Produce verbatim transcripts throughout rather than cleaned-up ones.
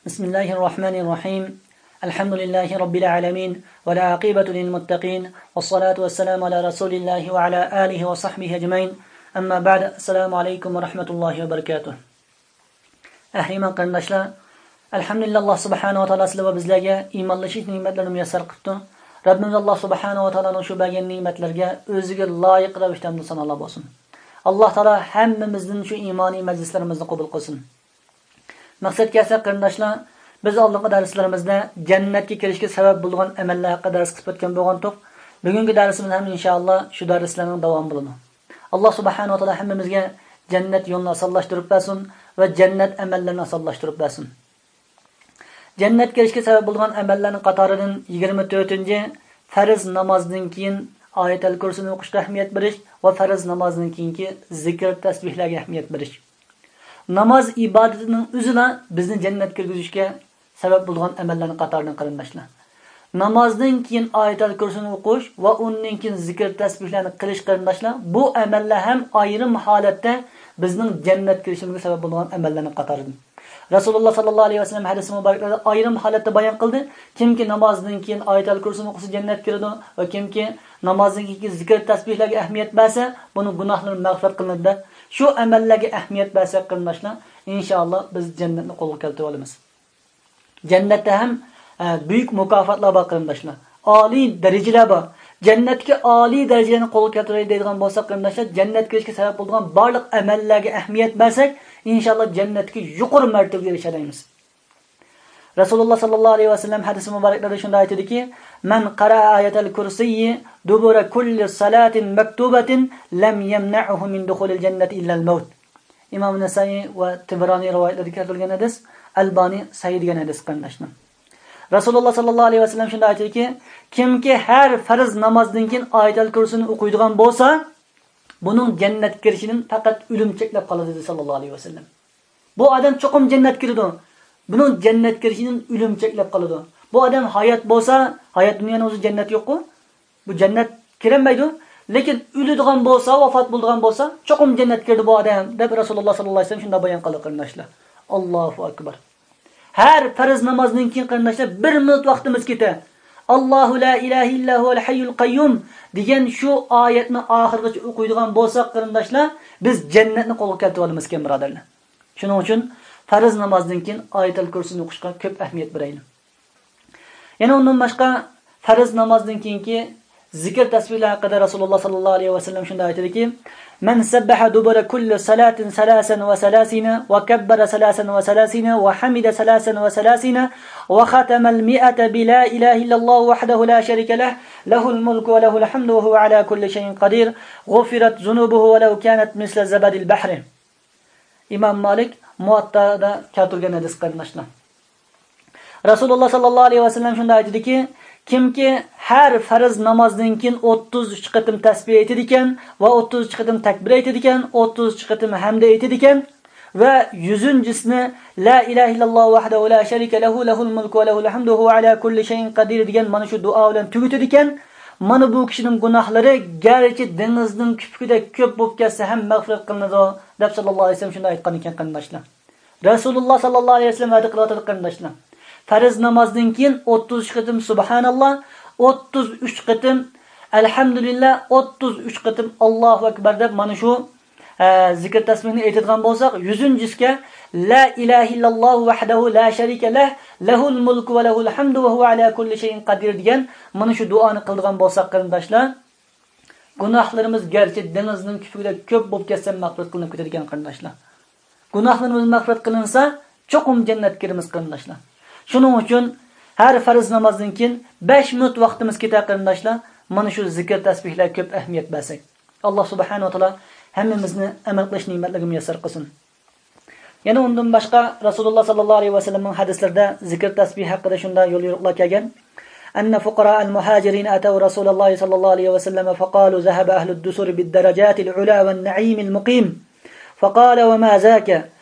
بسم الله الرحمن الرحيم. الحمد لله رب العالمين، والعاقبة للمتقين، والصلاة والسلام على رسول الله وعلى آله وصحبه أجمعين. أما بعد، السلام عليكم ورحمة الله وبركاته. ئەھلى ئىمان قېرىنداشلار، ئەلھەمدۇلىللاھ، ئاللاھ سۇبھانەھۇ ۋە تائالا سىلەر ۋە بىزلەرگە ئىمانلىشىش نېمەتلىرىنى مۇيەسسەر قىپتۇ. رەببىمىز ئاللاھ سۇبھانەھۇ ۋە تائالانىڭ شۇ بەرگەن نېمەتلىرىگە ئۆزىگە لايىق رەۋىشتە ھەمدۇ سانالار بولسۇن. ئاللاھ تائالا ھەممىمىزدىن شۇ ئىمانىي مەجلىسلىرىمىزنى قوبۇل قىلسۇن. مەقسەتكە كەلسەك قېرىنداشلار، بىز ئالدىنقى دەرسلىرىمىزدە جەننەتكە كىرىشكە سەۋەب بولىدىغان ئەمەللەر ھەققىدە دەرس قىلىپ ئۆتكەن بولغانتۇق. بۈگۈنكى دەرسىمىز ھەم ئىنشائاللا شۇ دەرسلەرنىڭ داۋامى بولىدۇ. ئاللاھ سۇبھانەھۇ ۋە تائالا ھەممىمىزگە جەننەت يولىنى ئاسانلاشتۇرۇپ بەرسۇن ۋە جەننەت ئەمەللىرىنى ئاسانلاشتۇرۇپ بەرسۇن. جەننەتكە كىرىشكە سەۋەب بولىدىغان ئەمەللەرنىڭ قاتارىدىن يىگىرمە تۆتىنچى، پەرز نامازدىن كېيىن ئايەتەل كۇرسىنى ئوقۇشقا ئەھمىيەت بېرىش ۋە پەرز نامازدىن كېيىنكى زىكىر تەسبىھلەرگە ئەھمىيەت بېرىش. ناماز ئىبادىتىنىڭ ئۆزىلا بىزنى جەننەتكە كىرگۈزۈشكە سەۋەب بولىدىغان ئەمەللەرنىڭ قاتارىدىن قېرىنداشلار. نامازدىن كېيىن ئايەتەل كۇرسىنى ئوقۇش ۋە ئۇندىن كېيىن زىكىر تەسبىھلەرنى قىلىش قېرىنداشلار، بۇ ئەمەللەر ھەم ئايرىم ھالەتتە بىزنىڭ جەننەتكە كىرىشىمىزگە سەۋەب بولىدىغان ئەمەللەرنىڭ قاتارىدىن. رەسۇلۇللاھ ساللاللاھۇ ئەلەيھى ۋەسەللەم ھەدىسى مۇبارەكلىرىدە ئايرىم ھالەتتە بايان قىلدى، كىمكى نامازدىن كېيىن ئايەتەل كۇرسىنى ئوقۇسا جەننەتكە كىرىدۇ ۋە كىمكى نامازدىن كېيىنكى زىكىر تەسبىھلەرگە ئەھمىيەت بەرسە، بۇنىڭ گۇناھلىرى مەغپىرەت قىلىنىدۇ دەپ. شۇ ئەمەللەرگە ئەھمىيەت بەرسەك قېرىنداشلار، ئىنشائاللا بىز جەننەتنى قولغا كەلتۈرۈۋالىمىز. جەننەتتە ھەم، ئە، بۈيۈك مۇكاپاتلار بار قېرىنداشلار. ئالىي دەرىجىلەر بار. جەننەتتىكى ئالىي دەرىجىلەرنى قولغا كەلتۈرەي دەيدىغان بولساق قېرىنداشلار، جەننەتكە كىرىشكە سەۋەب بولىدىغان بارلىق ئەمەللەرگە ئەھمىيەت بەرسەك، ئىنشائاللا جەننەتتىكى يۇقىرى مەرتىۋىگە ئېرىشەلەيمىز. رەسۇلۇللاھ ساللاللاھۇ ئەلەيھى ۋەسەللەم ھەدىسى مۇبارەكلىرىدە شۇنداق ئېيتىدىكى، مَنْ قَرَأَ آيَةَ الْكُرْسِيِّ دُبُرَ كُلِّ صَلَاةٍ مَكْتُوبَةٍ لَمْ يَمْنَعْهُ مِنْ دُخُولِ الْجَنَّةِ إِلَّا الْمَوْتُ. ئىمام نەسائىي ۋە تىبرانىي رىۋايەتلىرىدە كەلتۈرۈلگەن ھەدىس، ئەلبانى سەھىھ دېگەن ھەدىس قېرىنداشلار. رەسۇلۇللاھ ساللاللاھۇ ئەلەيھى ۋەسەللەم شۇنداق ئېيتىدىكى، كىمكى ھەر پەرز نامازدىن كېيىن ئايەتەل كۇرسىنى ئوقۇيدىغان بولسا، بۇنىڭ جەننەتكە كىرىشىدىن پەقەت ئۆلۈم چەكلەپ قالىدۇ، دېدى ساللاللاھۇ ئەلەيھى ۋەسەللەم. بۇ ئادەم چوقۇم جەننەتكە كىرىدۇ. بۇنىڭ جەننەتكە كىرىشىدىن ئۆلۈم چەكلەپ قالىدۇ. بۇ ئادەم ھايات بولسا، ھايات دۇنيانىڭ ئۆزى جەننەت يوققۇ. بۇ جەننەت كىرەلمەيدۇ. لېكىن ئۆلىدىغان بولسا، ۋاپات بولىدىغان بولسا، چوقۇم جەننەتكە كىرىدۇ بۇ ئادەم، دەپ رەسۇلۇللاھ ساللاللاھۇ ئەلەيھى ۋەسەللەم شۇنداق بايان قىلدى قېرىنداشلار. ئاللاھۇ ئەكبەر. ھەر پەرز نامازدىن كېيىن قېرىنداشلار بىر مىنۇت ۋاقتىمىز كېتە. ئاللاھۇ لا ئىلاھە ئىللا ھۇۋەل ھەييۇل قەييۇم دېگەن شۇ ئايەتنى ئاخىرغىچە ئوقۇيدىغان بولساق قېرىنداشلار، بىز جەننەتنى قولغا كەلتۈرۈۋالىمىزكەن بۇرادەرلەر. شۇنىڭ ئۈچۈن پەرز نامازدىن كېيىن ئايەتەل كۇرسىنى ئوقۇشقا كۆپ ئەھمىيەت بېرەيلى. يەنە ئۇندىن باشقا پەرز نامازدىن كېيىنكى زىكىر تەسبىھلەر ھەققىدە رەسۇلۇللاھ ساللاللاھۇ ئەلەيھى ۋەسەللەم شۇنداق ئېيتىدىكى، مَنْ سَبَّحَ دُبُرَ كُلِّ صَلَاةٍ ثَلَاثًا وَثَلَاثِينَ وَكَبَّرَ ثَلَاثًا وَثَلَاثِينَ وَحَمِدَ ثَلَاثًا وَثَلَاثِينَ وَخَتَمَ الْمِائَةَ بِلَا إِلَهَ إِلَّا اللَّهُ وَحْدَهُ لَا شَرِيكَ لَهُ، لَهُ الْمُلْكُ وَلَهُ الْحَمْدُ وَهُوَ عَلَى كُلِّ شَيْءٍ قَدِيرٌ، غُفِرَتْ ذُنُوبُهُ وَلَوْ كَانَتْ مِثْلَ زَبَدِ الْبَحْرِ. ئىمام مالىك مۇۋەتتادا كەلتۈرگەن ھەدىس قېرىنداشلار. رەسۇلۇللاھ ساللاللاھۇ ئەلەيھى ۋەسەللەم شۇنداق ئېيتىدىكى، كىمكى ھەر پەرز نامازدىن كېيىن ئوتتۇز ئۈچ قېتىم تەسبىھ ئېيتىدىكەن ۋە ئوتتۇز ئۈچ قېتىم تەكبىر ئېيتىدىكەن، ئوتتۇز ئۈچ قېتىم ھەمدە ئېيتىدىكەن ۋە يۈزىنچىسىنى لا ئىلاھە ئىللاللاھۇ ۋەھدەھۇ لا شەرىكە لەھۇ، لەھۇل مۇلكۇ ۋە لەھۇل ھەمدۇ ۋە ھۇۋە ئەلا كۇللى شەيئىن قەدىر دېگەن مانا شۇ دۇئا بىلەن تۈگىتىدىكەن. مانا بۇ كىشىنىڭ گۇناھلىرى گەرچە دېڭىزنىڭ كۆپۈكىدەك كۆپ بولۇپ كەتسە ھەم مەغپىرەت قىلىنىدۇ، دەپ ساللاللاھۇ ئەلەيھى ۋەسەللەم شۇنداق ئېيتقان ئىكەن قېرىنداشلار. رەسۇلۇللاھ ساللاللاھۇ ئەلەيھى ۋەسەللەم ۋەدە قىلىۋاتىدۇ قېرىنداشلار. پەرز نامازدىن كېيىن ئوتتۇز ئۈچ قېتىم سۇبھاناللاھ، ئوتتۇز ئۈچ قېتىم ئەلھەمدۇلىللاھ، ئوتتۇز ئۈچ قېتىم ئاللاھۇ ئەكبەر دەپ مانا شۇ، ئە، زىكىر تەسبىھنى ئېيتىدىغان بولساق، يۈزىنچىسىگە لا ئىلاھە ئىللاللاھۇ ۋەھدەھۇ لا شەرىكە لەھ، لەھۇل مۇلكۇ ۋە لەھۇل ھەمدۇ ۋە ھۇۋە ئەلا كۇللى شەيئىن قەدىر دېگەن مانا شۇ دۇئانى قىلىدىغان بولساق قېرىنداشلار، گۇناھلىرىمىز گەرچە دېڭىزنىڭ كۆپۈكىدەك كۆپ بولۇپ كەتسە مەغپىرەت قىلىنىپ كېتىدىكەن قېرىنداشلار. گۇناھلىرىمىز مەغپىرەت قىلىنسا، چوقۇم جەننەتكە كىرىمىز قېرىنداشلار. شۇنىڭ ئۈچۈن ھەر پەرز نامازدىن كېيىن بەش مىنۇت ۋاقتىمىز كېتە قېرىنداشلار، مانا شۇ زىكىر تەسبىھلەرگە كۆپ ئەھمىيەت بەرسەك. ئاللاھ سۇبھانەھۇ ۋە تائالا ھەممىمىزنى ئەمەل قىلىش نېمەتلىرىگە مۇيەسسەر قىلسۇن. يەنە ئۇندىن باشقا رەسۇلۇللاھ ساللاللاھۇ ئەلەيھى ۋەسەللەمنىڭ ھەدىسلىرىدە زىكىر تەسبىھ ھەققىدە شۇنداق يول يورۇقلار كەلگەن. أن فقراء المهاجرين أتوا رسول الله صلى الله عليه وسلم فقالوا: ذهب أهل الدثور بالدرجات العلى والنعيم المقيم. فقال: وما ذاك؟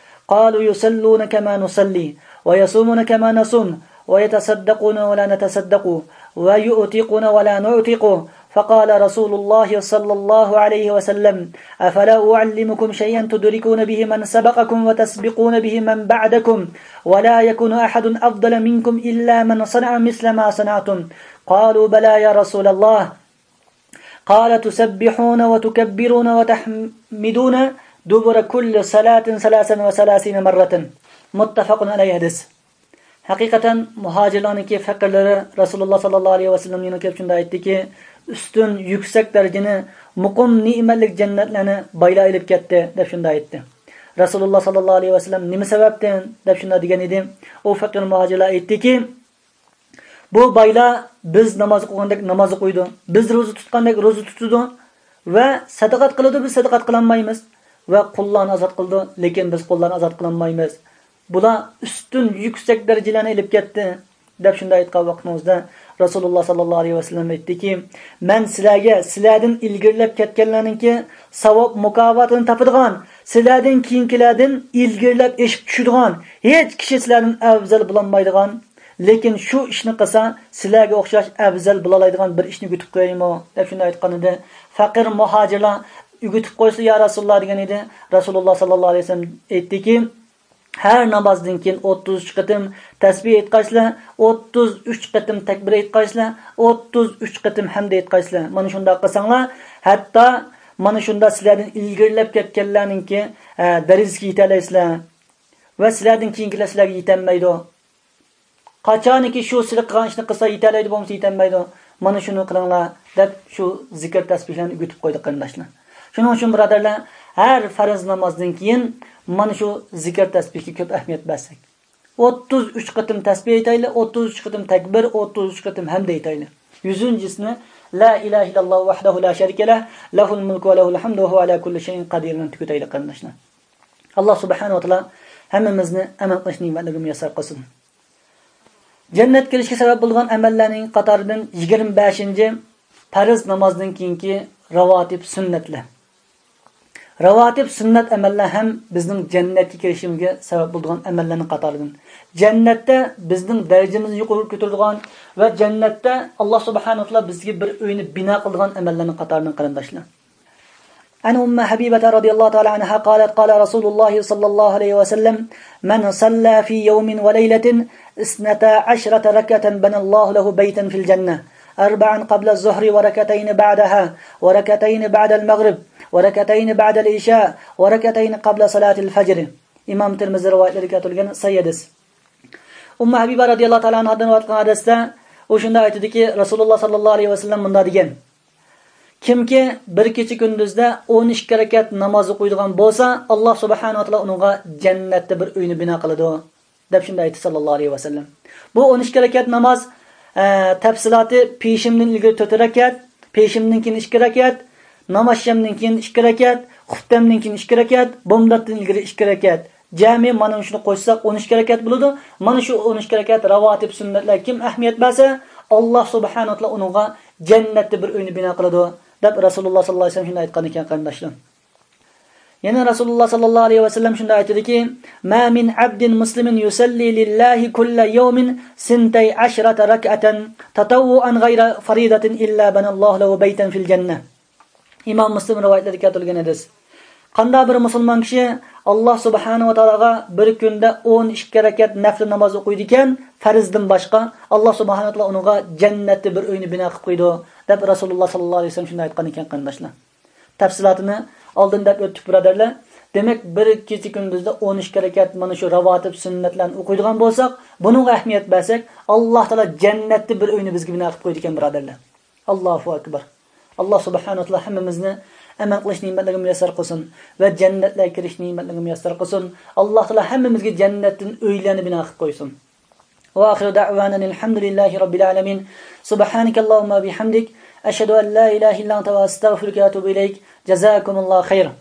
قالوا: يصلون كما نصلي، ويصومون كما نصوم، ويتصدقون ولا نتصدق، ويعتقون ولا نعتق، فقال رسول الله صلى الله عليه وسلم: أفلا أعلمكم شيئا تدركون به من سبقكم وتسبقون به من بعدكم، ولا يكون أحد أفضل منكم إلا من صنع مثل ما صنعتم؟ قالوا: بلى يا رسول الله. قال: تسبحون وتكبرون وتحمدون دبر كل صلاة ثلاثا وثلاثين مرة. متفق عليه. ھەقىقەتەن مۇھاجىرلارنىڭكى پەقىرلىرى رەسۇلۇللا ساللاللاھۇ ئەلەيھى ۋەسەللەمنىڭ يېنىغا كېلىپ شۇنداق ئېيتتىكى، ئۈستۈن، يۈكسەك دەرىجىنى، مۇقىم نېمەتلىك جەننەتلەرنى بايلار ئېلىپ كەتتى، دەپ شۇنداق ئېيتتى. رەسۇلۇللا ساللاللاھۇ ئەلەيھى ۋەسەللەم نېمە سەۋەبتىن، دەپ شۇنداق دېگەن ئىدى. ئۇ پەقىر مۇھاجىرلار ئېيتتىكى، بۇ بايلار بىز ناماز ئوقۇغاندەك ناماز ئوقۇيدۇ، بىز روزا تۇتقاندەك روزا تۇتىدۇ ۋە سەدىقات قىلىدۇ، بىز سەدىقات قىلالمايمىز ۋە قۇللارنى ئازاد قىلىدۇ، لېكىن بىز قۇللارنى ئازاد قىلالمايمىز. بۇلار ئۈستۈن، يۈكسەك دەرىجىلەرنى ئېلىپ كەتتى، دەپ شۇنداق ئېيتقان ۋاقتىمىزدا، رەسۇلۇللا ساللاللاھۇ ئەلەيھى ۋەسەللەم ئېيتتىكى، مەن سىلەرگە سىلەردىن ئىلگىرىلەپ كەتكەنلەرنىڭكى ساۋاب مۇكاپاتىنى تاپىدىغان، سىلەردىن كېيىنكىلەردىن ئىلگىرىلەپ ئېشىپ چۈشىدىغان، ھېچ كىشى سىلەردىن ئەۋزەل بولالمايدىغان، لېكىن شۇ ئىشنى قىلسا، سىلەرگە ئوخشاش ئەۋزەل بولالايدىغان بىر ئىشنى ئۆگىتىپ قويايمۇ؟ دەپ شۇنداق ئېيتقان ئىدى. پەقىر مۇھاجىرلار، ئۆگىتىپ قويسا يا رەسۇلۇللا، دېگەن ئىدى. رەسۇلۇللا ساللاللاھۇ ئەلەيھى ۋەسەللەم ئېيتتىكى، ھەر نامازدىن كېيىن ئوتتۇز ئۈچ قېتىم تەسبىھ ئېيتقايسىلەر، ئوتتۇز ئۈچ قېتىم تەكبىر ئېيتقايسىلەر، ئوتتۇز ئۈچ قېتىم ھەمدە ئېيتقايسىلەر. مانا شۇنداق قىلساڭلار، ھەتتا مانا شۇنداق سىلەردىن ئىلگىرىلەپ كەتكەنلەرنىڭكى، ئە، دەرىجىسىگە يېتەلەيسىلەر ۋە سىلەردىن كېيىنكىلەر سىلەرگە يېتەلمەيدۇ. قاچانكى شۇ سىلەر قىلغان ئىشنى قىلسا يېتەلەيدۇ، بولمىسا يېتەلمەيدۇ. مانا شۇنى قىلىڭلار، دەپ شۇ زىكىر تەسبىھلەرنى ئۆگىتىپ قويدى، قېرىنداشلار. شۇنىڭ ئۈچۈن، بۇرادەرلەر، ھەر پەرز نامازدىن كېيىن مانا شۇ زىكىر تەسبىھكە كۆپ ئەھمىيەت بەرسەك. ئوتتۇز ئۈچ قېتىم تەسبىھ ئېيتايلى، ئوتتۇز ئۈچ قېتىم تەكبىر، ئوتتۇز ئۈچ قېتىم ھەمدە ئېيتايلى. يۈزىنچىسىنى، لا إله إلا الله وحده لا شريك له، له الملك وله الحمد وهو على كل شيء قدير بىلەن تۈگىتەيلى، قېرىنداشلار. ئاللا سۇبھانەھۇ ۋە تائالا ھەممىمىزنى ئەمەل قىلىش نېمەتلىرىگە مۇيەسسەر قىلسۇن. جەننەتكە كىرىشكە سەۋەب بولىدىغان ئەمەللەرنىڭ قاتارىدىن يىگىرمە بەشىنچى، پەرز نامازدىن كېيىنكى راۋاتىب سۈننەتلەر. راۋاتىب سۈننەت ئەمەللەر ھەم بىزنىڭ جەننەتكە كىرىشىمىزگە سەۋەب بولىدىغان ئەمەللەرنىڭ قاتارىدىن. جەننەتتە بىزنىڭ دەرىجىمىزنى يۇقىرى كۆتۈرىدىغان ۋە جەننەتتە ئاللا سۇبھانەھۇ ۋە تائالا بىزگە بىر ئۆينى بىنا قىلىدىغان ئەمەللەرنىڭ قاتارىدىن، قېرىنداشلار. عن أم حبيبة رضي الله تعالى عنها قالت: قال رسول الله صلى الله عليه وسلم: من صلى في يوم وليلة اثنتا عشرة ركعة بنى الله له بيتا في الجنة، أربعا قبل الظهر وركعتين بعدها وركعتين بعد المغرب وركعتين بعد العشاء وركعتين قبل صلاة الفجر. ئىمام تىرمىزى رىۋايەتلىرى كەلتۈرۈلگەن سەھىھ ھەدىس. ئۇممۇ ھەبىبە رەزىياللاھۇ تائالا ئانھادىن رىۋايەت قىلىنغان ھەدىستە ئۇ شۇنداق ئېيتىدۇكى، رەسۇلۇللا ساللاللاھۇ ئەلەيھى ۋەسەللەم مۇنداق دېگەن: كىمكى بىر كېچە كۈندۈزدە ئون ئىككى رەكەت ناماز ئوقۇيدىغان بولسا، ئاللا سۇبھانەھۇ ۋە تائالا ئۇنىڭغا جەننەتتە بىر ئۆينى بىنا قىلىدۇ، دەپ شۇنداق ئېيتتى ساللاللاھۇ ئەلەيھى ۋەسەللەم. بۇ ئون ئىككى رەكەت ناماز، ئە، تەپسىلاتى پېشىندىن ئىلگىرى تۆت رەكەت، پېشىندىن كېيىن ئىككى رەكەت، نامازشامدىن كېيىن ئىككى رەكەت، خۇپتەمدىن كېيىن ئىككى رەكەت، بومداتتىن ئىلگىرى ئىككى رەكەت. جەمئىي مانا شۇنى قوشساق ئون ئىككى رەكەت بولىدۇ. مانا شۇ ئون ئىككى رەكەت راۋاتىب سۈننەتلەرگە كىم ئەھمىيەت بەرسە، ئاللا سۇبھانەھۇ ۋە تائالا ئۇنىڭغا جەننەتتە بىر ئۆينى بىنا قىلىدۇ، دەپ رەسۇلۇللا ساللاللاھۇ ئەلەيھى ۋەسەللەم شۇنداق ئېيتقان ئېكەن، قېرىنداشلار. يەنە رەسۇلۇللا ساللاللاھۇ ئەلەيھى ۋەسەللەم شۇنداق ئېيتىدۇكى، ما من عبد مسلم يصلي لله كل يوم ثنتي عشرة ركعة تطوعا غير فريضة إلا بنى الله له بيتا في الجنة. ئىمام مۇسلىم رىۋايەتلىرىدە كەلتۈرۈلگەن ھەدىس. قانداق بىر مۇسۇلمان كىشى ئاللا سۇبھانەھۇ ۋە تائالاغا بىر كۈندە ئون ئىككى رەكەت نەپلى ناماز ئوقۇيدىكەن، پەرزدىن باشقا، ئاللا سۇبھانەھۇ ۋە تائالا ئۇنىڭغا جەننەتتە بىر ئۆينى بىنا قىلىپ قويىدۇ، دەپ رەسۇلۇللا ساللاللاھۇ ئەلەيھى ۋەسەللەم شۇنداق ئېيتقان ئىكەن، قېرىنداشلار. تەپسىلاتىنى ئالدىن دەپ ئۆتتۇق، بۇرادەرلەر. دېمەك، بىر كېچە كۈندۈزدە ئون ئىككى رەكەت مانا شۇ راۋاتىب سۈننەتلەرنى ئوقۇيدىغان بولساق، بۇنىڭغا ئەھمىيەت بەرسەك، ئاللا تائالا جەننەتتە بىر ئۆينى بىزگە بىنا قىلىپ قويىدىكەن، بۇرادەرلەر. ئاللاھۇ ئەكبەر. ئاللا سۇبھانەھۇ ۋە تائالا ھەممىمىزنى ئەمەل قىلىش نېمەتلىرىگە مۇيەسسەر قىلسۇن ۋە جەننەتلەرگە كىرىش نېمەتلىرىگە مۇيەسسەر قىلسۇن. ئاللا تائالا ھەممىمىزگە جەننەتتىن ئۆيلەرنى بىنا قىلىپ قويسۇن. وآخر دعوانا أن الحمد لله رب العالمين. سبحانك اللهم وبحمدك، أشهد أن لا إله إلا أنت، أستغفرك وأتوب إليك. جزاكم الله خيرا.